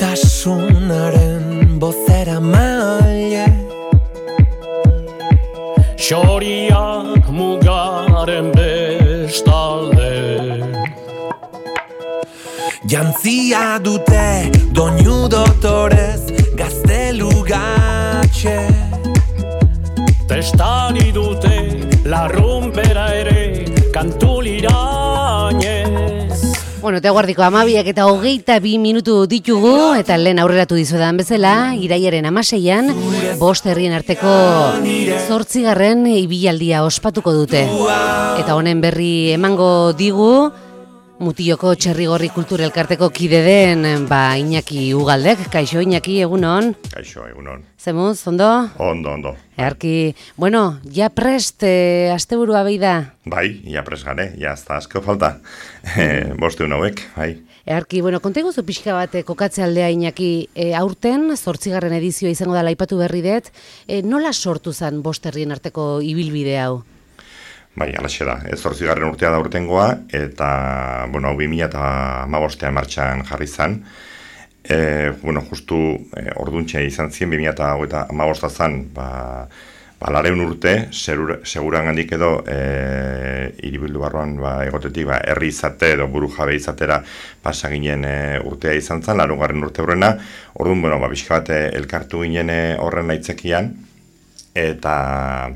Maitasunaren bozera maile Xoriak mugaren bestalde Jantzia dute doinu dotorez gaztelugatxe Testari dute larrumpera ere kantulirainez Bueno, eta guardiko 12:22 minutu ditugu, eta lehen aurreratu dizuedan bezala, iraiaren 16an, 5 herrien arteko 8. ibilaldia ospatuko dute. Eta honen berri emango digu, Mutiloko Txerrigorri Kulturelkarteko kide den, Iñaki Ugaldek. Kaixo, Iñaki, egunon? Kaixo, egunon. Zemuz, ondo? Ondo. Earki, bueno, ja prest, asteburua behi da? Bai, ja prest gane, ja ez da asko falta. Bosteun hauek, bai. Earki, bueno, konteguzu pixka bat kokatze aldea, Iñaki, aurten, 8. edizioa izango da aipatu berri dut, nola sortu zen 5 herrien arteko ibilbide hau? Bai, alaxe da. 8. urtea da urtengoa, eta, bueno, 2015 martxan jarri zen. Justu orduntxe izan ziren, 2015 zen, lareun urte, seguran handik edo, hiribildu barruan egotetik, herri izate edo buru jabe izatera pasaginen urtea izan zen, 8. urte horrena. Orduan, pixka bat elkartu ginen horren aitzakian, eta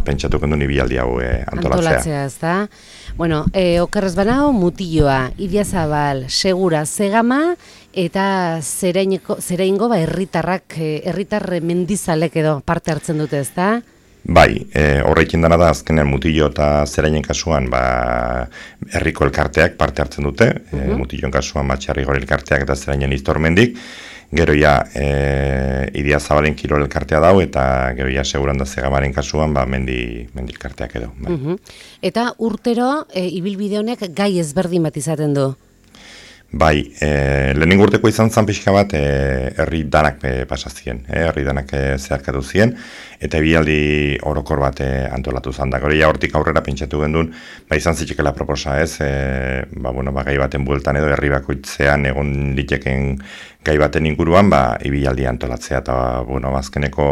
pentsatuko duen ibilaldi hau antolatzea. Ez da? Bueno, okerrez banao, Mutilloa, Idiazabal, Segura, Zegama, eta zereingo herritar mendizalek edo parte hartzen dute, ez da? Bai, horrekin dana da, azkenean Mutillo eta Zerainen kasuan herriko elkarteak parte hartzen dute, Mutilloen kasuan Txerrigorri elkarteak eta Zerainen Iztormendik, gero Idiazabalen kirol elkartea dau, eta gero Seguran da Zegamaren kasuan mendi elkarteak edo. Bai. Eta urtero, ibilbide honek gai ezberdin bat izaten du? Bai, lehenengo urteko izan zen pixka bat herri danak pasazien, herri danak zeharkatu ziren, eta ibilaldi orokor bat antolatu zen da. Gero hortik aurrera pentsatu gendun, izan zitxekela proposa ez, gai baten bueltan edo herri bakoitzean egon liteken gai baten inguruan, ibilaldi antolatzea, eta azkeneko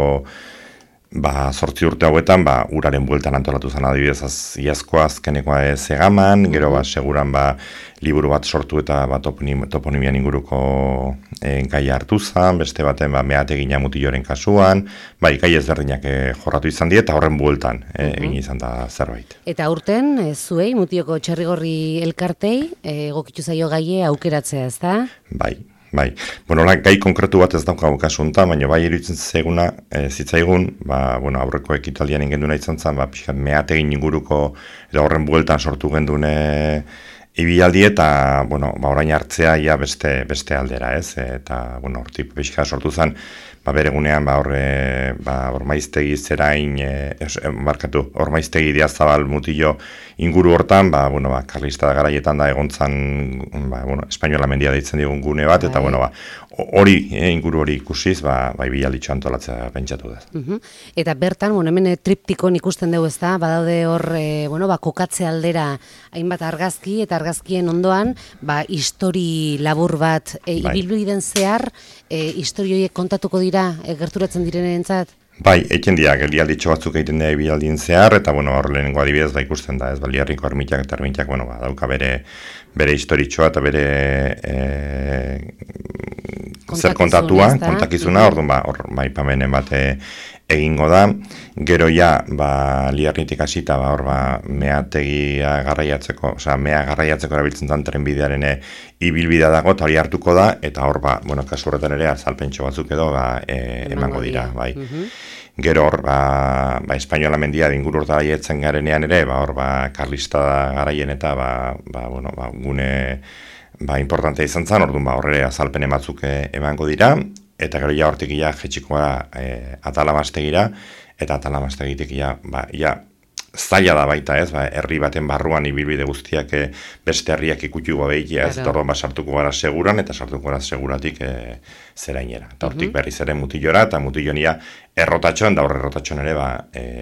8 urte hauetan, uraren bueltan antolatu zen adibidez iazkoa azkenekoa Zegaman, gero Seguran liburu bat sortu eta toponimian inguruko gaia hartu zen, beste baten meategina Mutilloren kasuan, gai ezberdinak jorratu izan die, eta horren bueltan egin izan da zerbait. Eta aurten, zuei, Mutilloko Txerrigorri elkartei, egokitu zaio gaie aukeratzea, ez da? Bai. Gai konkretu bat ez daukagu kasu honetan, baina iruditzen zitzaigun, aurreko ekitaldian ingenduna izan zen, meategin inguruko, edo horren bueltan sortu gendun ibilaldi eta, orain hartzea beste aldera, ez? Eta, hortik pixka sortu zen, bere gunean, Ormaiztegi Zerain, Ormaiztegi Idiazabal Mutillo inguru hortan, karlista garaietan da egontzan, espainola mendia deitzen digun gune bat, eta, inguru hori ikusiz, ibialditxo antolatzea pentsatu da. Eta bertan, hemen triptikon ikusten dugu ez da, badaude hor, kokatze aldera hainbat argazki, eta argazkien ondoan, histori labur bat, ibilbiden zehar, histori horiek kontatuko dira, gerturatzen direnentzat? Bai, eken dira, geldialditxo batzuk egiten dira ibialdien zehar, eta hor lehenengo adibidez ikusten da, ez Baliarriko ermitak eta ermitak, dauka bere historitxoa eta bere zer kontatua, kontakizuna, hor maipamenen bat egingo da. Gero Liarritik hasita meategia garraiatzeko, mea garraiatzeko erabiltzen den trenbidearen ibilbidea dago, eta hori hartuko da, eta hor kasu horretan ere azalpentxo batzuk edo emango dira, bai. Gero hor, espainola mendia inguru horta daietzen garenean ere, hor karlista garaien eta gune importantea izan zen, orduan horre azalpen batzuk emango dira, eta gero hortik jetxiko da Atalamastegira, eta Atalamastegitik zaila da baita, ez, herri baten barruan ibilbide guztiak beste herriak ikutu gabeikia, ez, eta orduan sartuko gara seguran, eta sartuko gara seguratik zerainera. Eta hortik berriz ere Mutillora, eta Mutillonia errotatxoan, da horre errotatxoan ere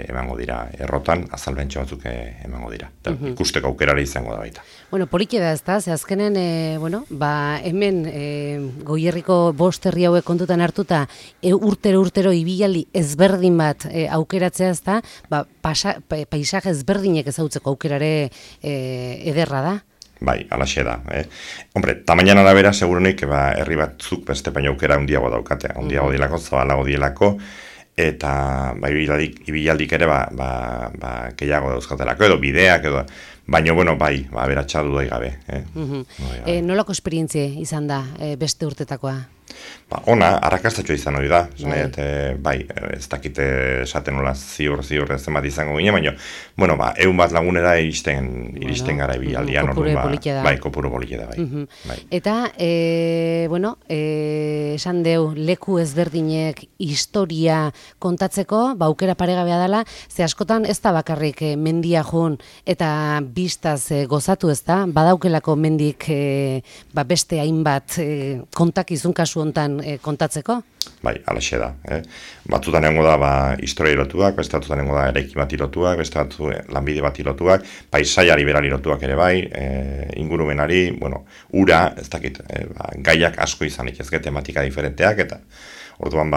emango dira, errotan azalbentxo batzuk emango dira. Eta ikusteko aukerare izango da baita. Bueno, poliki da, ezta, ze azkenen, hemen Goierriko bost herri hauek kontutan hartuta, urtero ibilaldi ezberdin bat aukeratzea, ezta, paisaje ezberdinek ezautzeko aukerare ederra da. Bai, alaxe da. Hombre, tamainan arabera, segurunik, herri batzuk beste baina aukera handiago daukate. Handiago dielako, zabalago dielako, eta ibilaldik ere gehiago dauzkatelako, edo bideak, edo... Baina, beratxa du gabe. Nolako esperientzia izan da beste urtetakoa? Ona, arrakastatxoa izan hori da. Ez dakite esaten nola ziur zenbat izango gine, baina, egun bat lagunera iristen gara ibilaldian. Kopuru politia da. Bai, kopuru politia da, bai. Eta, esan deu, leku ezberdinek historia kontatzeko, aukera paregabea dela, ze askotan ez da bakarrik mendia joan, eta bistaz gozatu, ez da? Badaukelako mendik beste hainbat kontakizun kasu hontan kontatzeko? Bai, alaxe da. Batzutan egongo da historia irotuak, beste batzutan egongo da eraiki bat irotuak, beste batzu lanbide bat irotuak, paisaiari berari irotuak ere bai, ingurumenari, ura, ez dakit, gaiak asko izanik ezke tematika diferenteak, eta orduan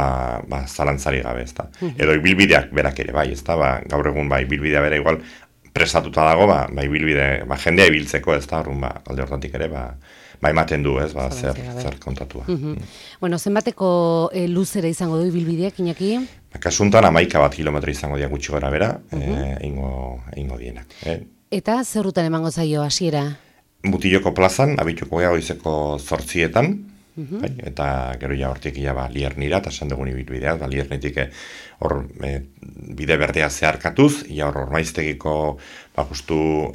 zalantzari gabe, ez da. Edo ibilbideak berak ere bai, ez da, gaur egun ibilbidea bera igual prestatuta dago, ibilbide, jendea ibiltzeko, ez da, orduan alde hortatik ere, ematen du, ez, zer kontatua. Zenbateko luzera izango du ibilbideak, Iñaki? Kasuntan 11 kilometro izango dira gutxi gora bera, eingo dienak. Eta zer rutan emango zaio hasiera? Mutilloko plazan, abituko goizeko 8:00, eta gero hortik Liernira, eta esan dugun ibilbidea, Liernetik hor bide berdea zeharkatuz, hor maiztegiko justu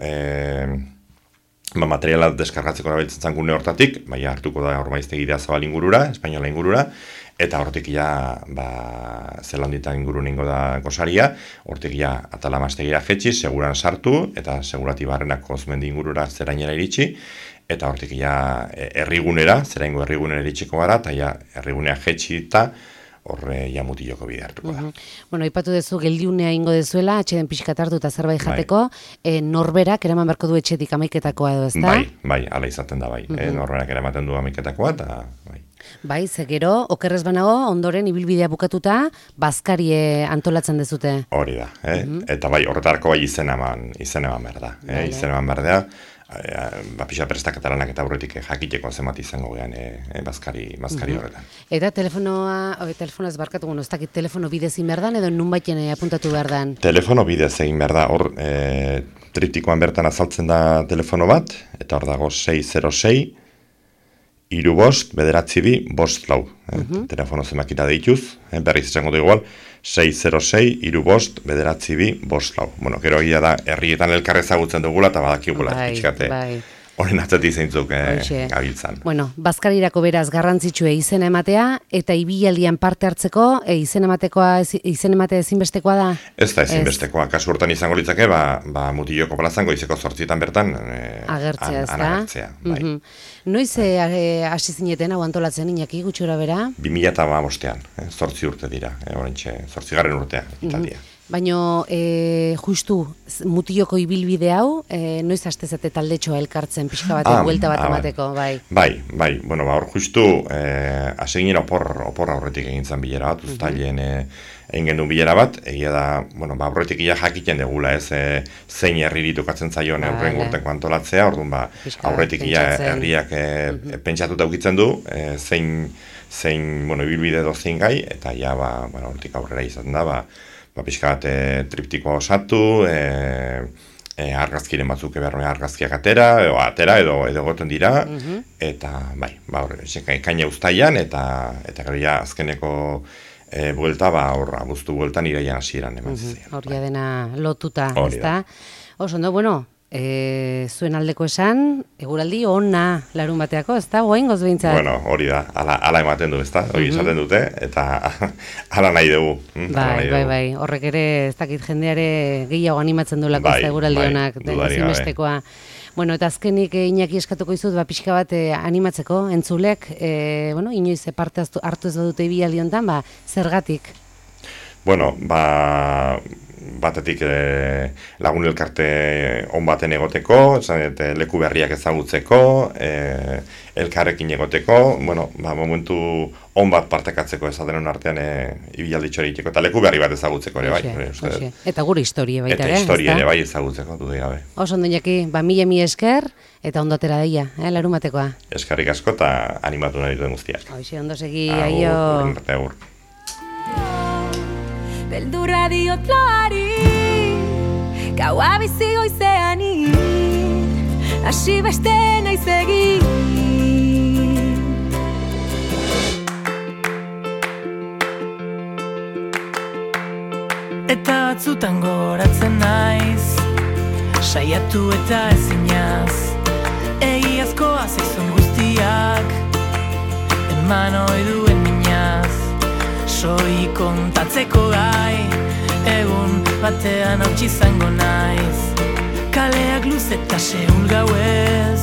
materiala deskargatzeko erabiltzen zan gune hortatik, hartuko da hor maiztegidea Zabal ingurura, Espainola ingurura, eta hortik Zelandita inguru ningo da gosaria, hortik atala mastegira jetxi, seguran sartu, eta segurati barrenak Kozmendi ingurura zerainera iritsi, eta hortik herrigunera, zeraingo herrigunera iritsiko gara, eta herrigunea jetxi eta horre Mutilloko bide hartuko da. Aipatu dezu, geldiunea ingo dezuela, atxeden pixkat hartu eta zerbait jateko, norberak eraman beharko du etxetik 11:00 edo, ez da? Bai, ala izaten da, norberak eramaten du 11:00 eta bai. Bai, ze gero, okerrez banago, ondoren ibilbidea bukatuta, bazkarie antolatzen dezute. Hori da, eta horretarako izen eman behar da. Izen eman behar da, pixa prestakataranak eta aurretik jakiteko zenbat izango gehan bazkari horretan. Eta telefonoaz barkatu, ez dakit telefono bidez egin behar dan, edo nunbaiten apuntatu behar dan? Telefono bidez egin behar da, hor triptikoan bertan azaltzen da telefono bat, eta hor dago 606, 3-5-9-5-4. Telefono zenbakita deituz, berriz izango da igual, 606-3-5-9-5-4. Gero egia da, herrietan elkarrezagutzen dugula, eta badakigula, pixkate, horren atzati zeintzuk gabiltzan. Bazkarirako beraz garrantzitsue izena ematea, eta ibilaldian parte hartzeko, izena ematea ezinbestekoa da? Ez da ezinbestekoa, kasu hortan izango litzake, Mutilloko plazan goizeko 8:00 bertan agertzea, ez da? Agertzea, bai. Noiz hasi zineten hau antolatzen, Iñaki, gutxora bera? 2015, 8 urte dira, 8. urtea, Italia. Baina, justu, Mutilloko ibilbide hau, noiz hastezate taldetxoa elkartzen, pixka batek, buelta bat emateko, bai? Bai, hor justu, hasi ginen opor aurretik egin zan bilera bat, uztailen egin genuen bilera bat, egia da, aurretik jakiten degula, ez, zein herri ditukatzen zaion aurren urteko antolatzea, orduan, aurretik herriak pentsatuta ukitzen du, zein, ibilbide dozein gai, eta hortik aurrera izaten da, pixka bat triptikoa osatu, argazkiren batzuk argazkiak atera edo goten dira, eta kaina uztailan, eta gero azkeneko buelta, abuztu bueltan iraian hasieran eman ziren. Horria dena lotuta, ez da? Oso, zuen aldeko esan, eguraldi ona larun bateako, ez da, goaingoz behintzat? Bueno, hori da, ala ematen du, ez da, hori esaten dute, eta ala nahi dugu. Bai, horrek ere, ez dakit jendeare gehiago animatzen duelako ez da eguraldi onak, ezinbestekoa. Bueno, eta azkenik Iñaki eskatuko izut, pixka bat animatzeko, entzulek, inoiz parte hartu ez badute ibialdi honetan, zergatik? Bueno, batetik lagun elkarte on baten egoteko, leku berriak ezagutzeko, elkarrekin egoteko, momentu on bat partekatzeko esaten artean ibialditxo egiteko, eta leku berri bat ezagutzeko ere bai. Eta gure historia baita ere. Eta historia ere bai ezagutzeko, dudik gabe. Oso ondo Iñaki, mila esker, eta ondo atera daia, larumatekoa. Eskerrik asko eta animatu nahi duten guztiak. Hoxe, ondo segi, aio. Agur. Beldurra diotloari, gaua bizi goizeani, hasi beste naiz egin. Eta batzutan goratzen naiz, saiatu eta ezinaz, egiazkoa zaizun guztiak, eman oiduen minaz. Soi kontatzeko gai, egun batean hautsi izango naiz. Kaleak luz eta seul gauez,